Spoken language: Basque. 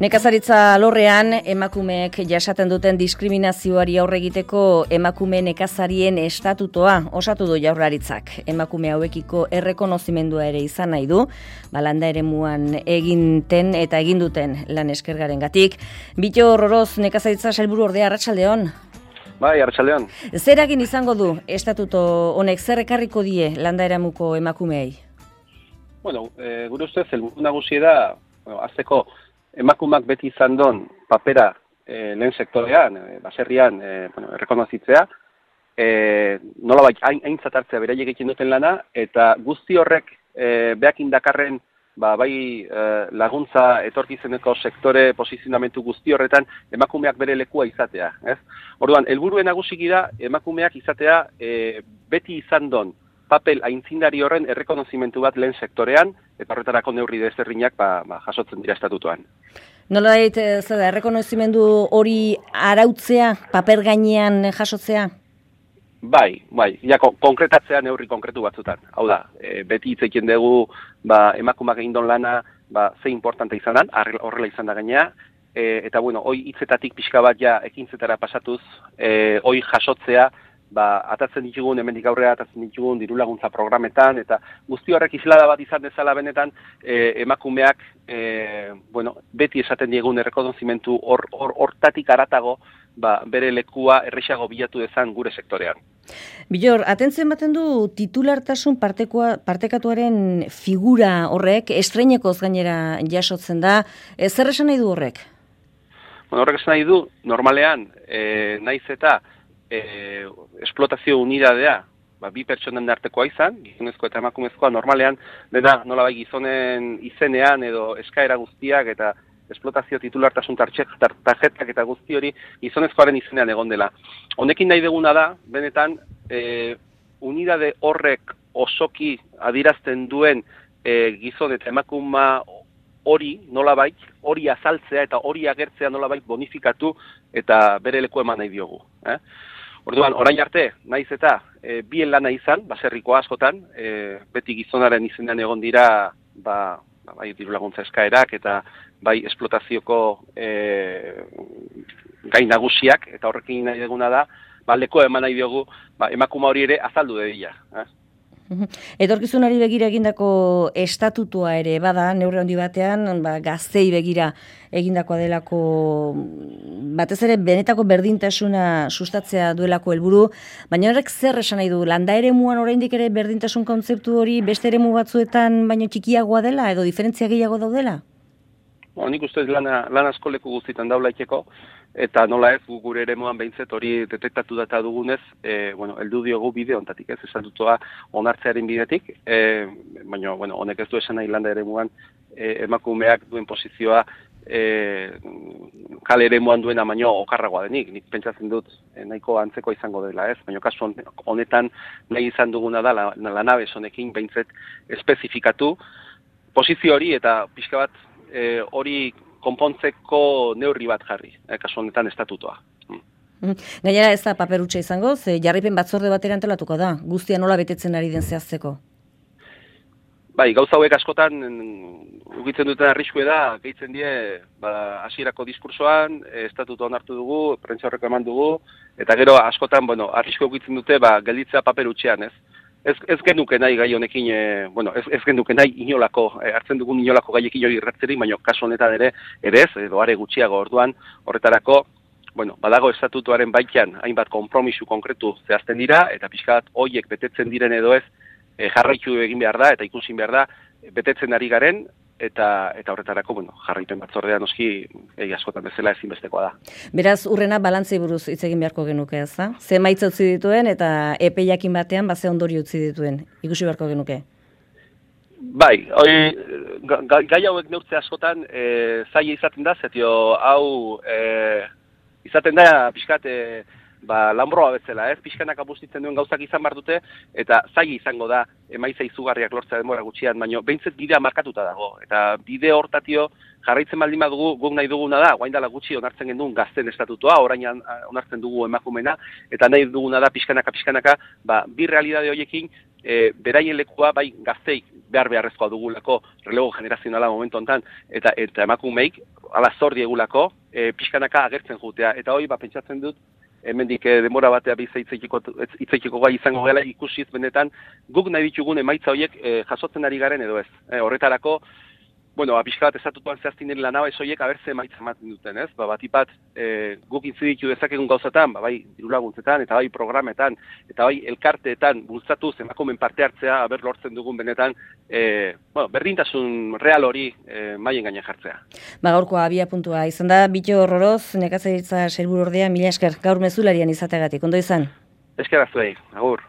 Nekazaritza alorrean emakumeek jasaten duten diskriminazioari aurre egiteko emakume nekazarien estatutoa osatu du Jaurlaritzak. Emakume hauekiko errekonozimendua ere izan nahi du, landa eremuan eginten eta eginduten lan eskergarengatik. Bittor Oroz, nekazaritza sailburu ordea, arratsaldeon. Bai, arratsaldeon. Zer egin izango du estatuto honek, zer ekarriko die landa eremuko emakumeei? Bueno, gure ustez helburu nagusia da, hasteko emakumeak beti izan don papera lehen sektorean, baserrian, errekonozitzea, nolabait aintzat hartzea beraiek egiten duten lana, eta guzti horrek beakin dakarren bai laguntza etorkizeneko sektore posizionamentu guzti horretan emakumeak bere lekua izatea. Orduan, helburuen nagusiki da emakumeak izatea beti izan don papel aintzindari horren errekonozimentu bat lehen sektorean, eta horretarako neurri desberdinak jasotzen dira estatutoan. Nolabait, errekonozimendu hori arautzea, paper gainean jasotzea? Bai, ja, konkretatzea neurri konkretu batzutan. Hau da, beti hitz egiten dugu emakumeak egindon lana ze importante izanan, horrela izan da gainea, eta bueno, hoi hitzetatik pixka bat ja ekintzetara pasatuz, hoi jasotzea, atatzen ditugun, hemendik aurrera atatzen ditugun dirulaguntza programetan, eta guzti horrek islada bat izan dezala benetan, emakumeak, beti esaten diegun errekonozimentu hortatik haratago, bere lekua errexago bilatu dezan gure sektorean. Bittor, atentzioen baten du titulartasun partekatuaren figura horrek, estreinekoz gainera jasotzen da, zer esan nahi du horrek? Horrek esan nahi du, normalean, naiz eta esplotazio unidadea, bi pertsonen artekoa izan, gizonezkoa eta emakumezkoa, normalean, dena nolabai gizonen izenean edo eskaera guztiak eta esplotazio titulartasun tarjetak eta guzti hori gizonezkoaren izenean egon dela. Honekin nahi deguna da, benetan, unidade horrek osoki adirazten duen gizon eta emakuma hori nolabait, hori azaltzea eta hori agertzea nolabait bonifikatu eta bere leku eman nahi diogu. Orduan, orain arte, naiz eta bien lana izan, baserriko askotan, beti gizonaren izenean egon dira, bai dirulaguntza eskaerak eta bai esplotazioko gai nagusiak, eta horrekin nahi duguna da, lekoa eman nahi diogu, emakuma hori ere azaldu dedila. Etorkizunari begira egindako estatutua ere bada, neurri handi batean, gaztei begira egindakoa delako, batez ere benetako berdintasuna sustatzea duelako helburu, baina horrek zer esan nahi du, landa eremuan oraindik ere berdintasun kontzeptu hori beste eremu batzuetan baino txikiagoa dela edo diferentzia gehiago daudela? Nik ustez lan asko leku guztietan daulaikeko, eta nola ez gure eremuan behintzet hori detektatu data dugunez, heldu diogu bide honetatik, estatutua onartzearen bidetik, baina honek ez du esan nahi landa eremuan emakumeak duen posizioa kale eremuan duena baino okarragoa denik. Nik pentsatzen dut nahiko antzeko izango dela, baina kasu honetan nahi izan duguna da lanabes honekin behintzet espezifikatu posizio hori eta pixka bat hori konpontzeko neurri bat jarri, kasu honetan estatutoa. Gainera ez da paper hutsa izango, ze jarraipen batzorde batera antolatuko da, guztia nola betetzen ari den zehazteko? Bai, gauza hauek askotan ukitzen duten arriskue da, gehitzen die, hasierako diskursoan, estatutua onartu dugu, prentsa horreko eman dugu, eta gero askotan, arriskue ukitzen dute, gelditzea paper hutsean, ez? Ez genuke nahi gai honekin, ez genuke nahi inolako, hartzen dugun inolako gaiekin hori irratzerik, baina kasu honetan ere ez, edo are gutxiago orduan, horretarako, badago estatutuaren baitan hainbat konpromisu konkretu zehazten dira, eta pixka bat horiek betetzen diren edo ez, jarraitu egin behar da, eta ikusin behar da, betetzen ari garen, eta horretarako, jarraipen batzordea noski askotan bezala ezinbestekoa da. Beraz, urrena balantzei buruz hitz egin beharko genuke, ez da? Ze emaitza utzi dituen eta epeiakin batean ze ondorio utzi dituen, ikusi beharko genuke? Bai, gai hauek neurtze askotan zaila izaten da, zetio hau izaten da pixkat lanbroa bezala, pixkanak apustitzen duen gauzak izan behar dute, eta zaila izango da emaitza izugarriak lortzea denbora gutxian, baina behintzet bidea markatuta dago, eta bide hortatio jarraitzen baldin badugu, guk nahi duguna da, guain dela gutxi onartzen genduen gazten estatutua, orain onartzen dugu emakumena, eta nahi duguna da pixkanaka, bi realidade horiekin, beraien lekua bai gazteik beharrezkoa dugulako relego generazionala momentu honetan, eta emakumeik ala zor diegulako pixkanaka agertzen jutea. Eta hori pentsatzen dut, hemendik denbora batea hitzeikiko gai izango gela ikusiz benetan guk nahi ditugun emaitza horiek jasotzen ari garen edo ez. Horretarako, pixka bat estatutuan zehaztin dira lanaba ez horiek abertze emaitza ematen duten, ez? Batipat guk intziditu dezakegun gauzatan, bai dirulaguntzetan, eta bai programetan, eta bai elkarteetan bultzatuz emakumeen parte hartzea aber lortzen dugun benetan berdintasun real hori maien gaina jartzea. Gaurkoa abia puntua izan da, Bitto Orroroz, nekazaritza sailburuordea, mila esker, gaur mezularian izateagatik, ondo izan? Esker azuei, agur.